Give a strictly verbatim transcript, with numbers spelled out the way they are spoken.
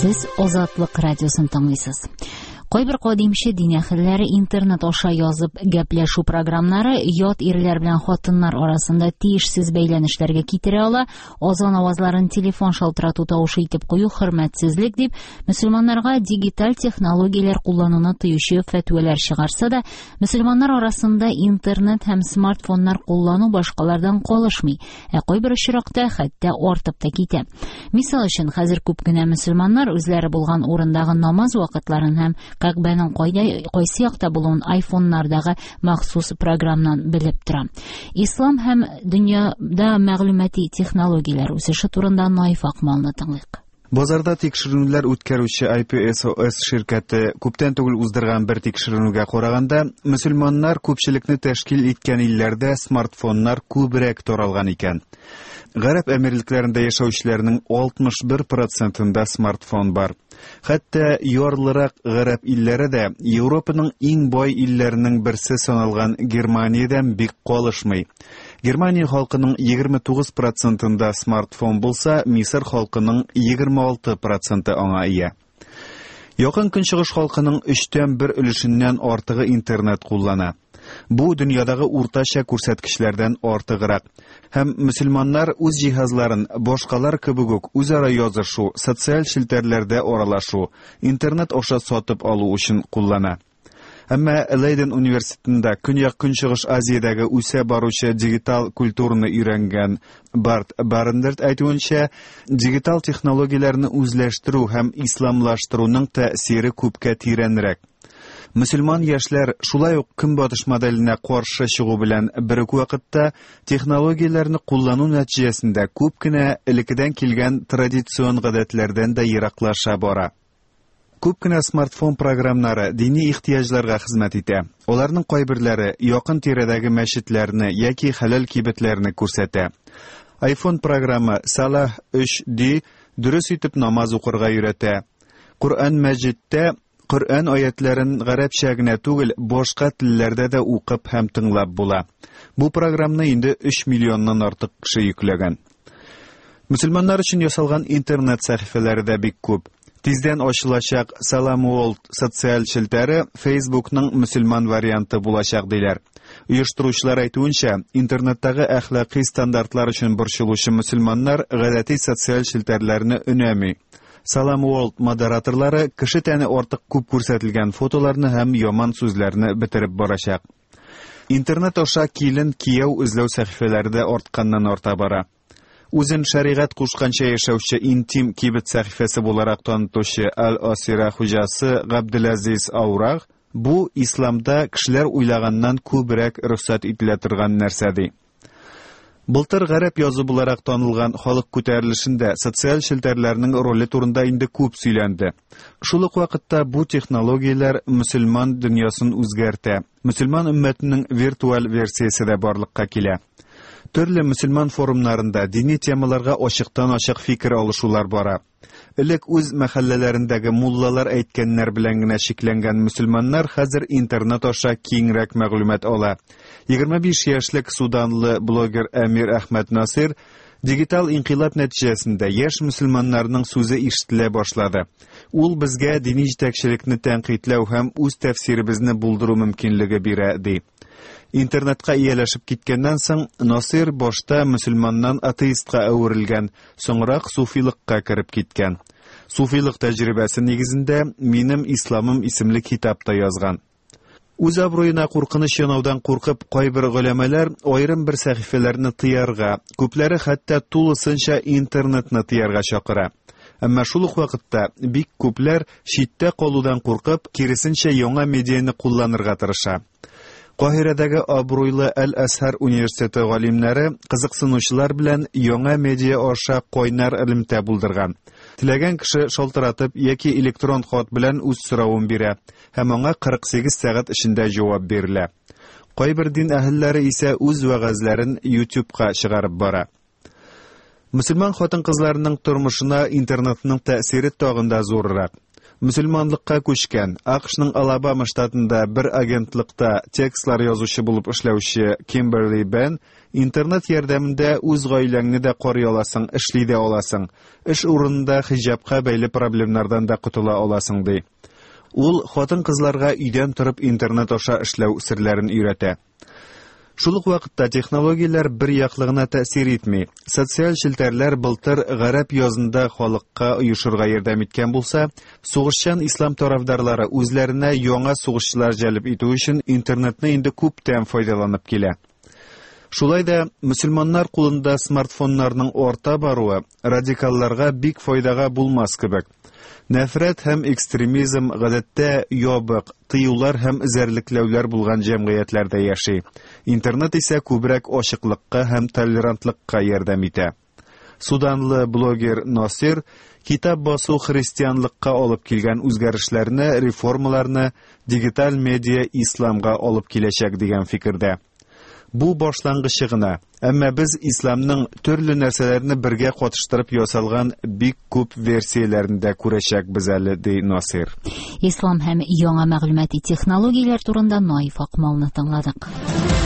Сез Азатлык радиосын тыңлыйсыз. Кайбер кадимче дин әһелләре интернет аша язып гәпләшү програмнары ят ирләр белән хатыннар арасында тиешсез бәйләнешләргә китерә ала, азан авазларын телефон шалтырату тавышы итеп кую хөрмәтсезлек дип, мөселманнарга дигиталь технологияләр куллануны тыючы фәтвәләр чыгарса да, мөселманнар арасында интернет һәм смартфоннар куллану башкалардан калышмый, ә кайбер очракта хәтта артып та китә. Мисал өчен, хәзер күп кенә мөселманнар үзләре булган урындагы намаз вакытларын һәм Кәгъбәнең кайда кайсы якта булуын айфоннардагы махсус програмнан белеп тора. Ислам һәм дөньяда мәгълүмати технологияләр үсеше турында Наиф Акмалны тыңлыйк. Базарда тикшеренүләр үткәрүче I P S O S ширкәте күптән түгел уздырган бер тикшеренүгә караганда, мөселманнар күпчелекне тәшкил иткән илләрдә смартфоннар күбрәк таралган икән. Гарәп Әмирлекләрендә яшәүчеләрнең алтмыш бер процентында смартфон бар. Хәтта ярлырак гарәп илләре дә Европаның иң бай илләренең берсе саналган Германиядән бик калышмый. Германия халкының егерме тугыз процентында смартфон булса, Мисыр халкының егерме алты проценты аңа ия. Якын Көнчыгыш халкының өчтән бер өлешеннән артыгы интернет куллана. Бу дөньядагы уртача күрсәткечләрдән артыграк. Һәм мөселманнар үз җиһазларын башкалар кебек үк үзара язышу, социаль челтәрләрдә аралашу, интернет аша сатып алу өчен куллана. Әмма Лейден университетында Көньяк-Көнчыгыш Азиядәге үсә баручы дигитал культураны өйрәнгән Барт Барендерт әйтүенчә, дигитал технологияләрне үзләштерү һәм исламлаштыруның тәэсире күпкә тирәнрәк. Мөселман яшьләр шулай ук көнбатыш моделенә каршы чыгу белән бер үк вакытта технологияләрне куллану нәтиҗәсендә күп кенә элеккедән килгән традицион гадәтләрдән дә ераклаша бара. Күп кенә смартфон програмнары дини ихтыяҗларга хезмәт итә. Аларның кайберләре якын тирәдәге мәчетләрне яки хәләл кибетләрне күрсәтә. iPhone програмы Salah өч D дөрес итеп намаз укырга өйрәтә. Коръән мәҗидтә Коръән аятларын гарәпчә генә түгел, башка телләрдә дә укып һәм тыңлап була. Бу програмны инде өч миллионнан артык кеше йөкләгән. Мөселманнар өчен ясалган интернет сәхифәләре дә бик күп. Тиздән ачылачак Salam World социаль челтәре Facebookның мөселман варианты булачак диләр. Оештыручылар әйтүенчә, интернеттагы әхлакый стандартлар өчен борчылучы мөселманнар гадәти социаль челтәрләрне өнәми. Salam World модераторлары кеше тәне артык күп күрсәтелгән фотоларны һәм яман сүзләрне бетереп барачак. Интернет аша килен кияү эзләү сәхифәләре дә артканнан арта бара. Үзен шәригать кушканча яшәүче интим кибет сәхифәсе буларак танытучы Аль-Асира хуҗасы Габделазиз Аураг бу исламда кешеләр уйлаганнан күбрәк рөхсәт ителә торган нәрсә ди. Былтыр гарәп язы буларак танылган халык күтәрелешендә социаль челтәрләрнең роле турында инде күп сөйләнде. Шул ук вакытта бу технологияләр мөселман дөньясын үзгәртә. Мөселман өммәтенең виртуаль версиясе дә барлыкка килә. Төрле мөселман форумнарында дини темаларга ачыктан-ачык фикер алышулар бара. Элек үз мәхәлләләрендәге муллалар әйткәннәр белән генә чикләнгән мөселманнар хәзер интернет аша киңрәк мәгълүмат ала. Егерме биш яшьлек суданлы блогер Әмир Әхмәт Насир дигитал инкыйлаб нәтиҗәсендә яшь мөселманнарның сүзе ишетелә башлады. Ул безгә дини җитәкчелекне тәнкыйтьләү һәм үз тәфсиребезне булдыру мөмкинлеге бирә, ди. Интернетка ияләшеп киткәннән соң Насир башта мөселманнан атеистка әверелгән, соңрак суфилыкка кереп киткән. Суфилык тәҗрибәсе нигезендә Минем исламым исемле китап та язган. Үз абруена куркыныч янаудан куркып, кайбер голәмәләр аерым бер сәхифәләрне тыярга, күпләре хәтта тулысынча интернетны тыярга чакыра. Әмма шул ук вакытта бик күпләр читтә калудан куркып, киресенчә яңа медианы кулланырга тырыша. Каһирәдәге абруйлы Әл-Әзһәр университеты галимнәре кызыксынучылар белән яңа медиа аша кайнар элемтә булдырган. Теләгән кеше шалтыратып яки электрон хат белән үз соравын бирә һәм аңа кырык сигез сәгать эчендә җавап бирелә. Кайбер дин әһелләре исә үз вәгазьләрен YouTube'ка чыгарып бара. Мөселман хатын-кызларының тормышына интернетның тәэсире тагын да зуррак. Мөселманлыкка күчкән, А К Шның Алабама штатында бер агентлыкта текстлар язучы булып эшләүче Кимберли Бен интернет ярдәмендә үз гаиләңне дә карый аласың, эшли дә аласың. Эш урынында хиҗабка бәйле проблемнардан да котыла аласың, ди. Ул хатын-кызларга өйдән торып интернет аша эшләү серләрен өйрәтә. Шул ук вакытта технологияләр бер яклы гына тәэсир итми. Социаль челтәрләр былтыр гарәп язында халыкка оешырга ярдәм иткән булса, сугышчан ислам тарафдарлары үзләренә яңа сугышчылар җәлеп итү өчен интернетны инде күптән файдаланып килә. Шулай да мөселманнар кулында смартфоннарның арта баруы радикалларга бик файдага булмас кебек. Нәфрәт һәм экстремизм гадәттә ябык, тыюлар һәм эзәрлекләүләр булган җәмгыятьләрдә яши. Интернет исә күбрәк ачыклыкка һәм толерантлыкка ярдәм итә. Суданлы блогер Насир китап басу христианлыкка алып килгән үзгәрешләрне, реформаларны дигиталь медиа исламга алып киләчәк дигән фикердә. Бу башлангычы гына, әмма без исламның төрле нәрсәләрне бергә катыштырып ясалган бик күп версияләрен дә күрәчәкбез әле, ди Насир. Ислам һәм яңа мәгълүмати технологияләр турында Наиф Акмалны тыңладык.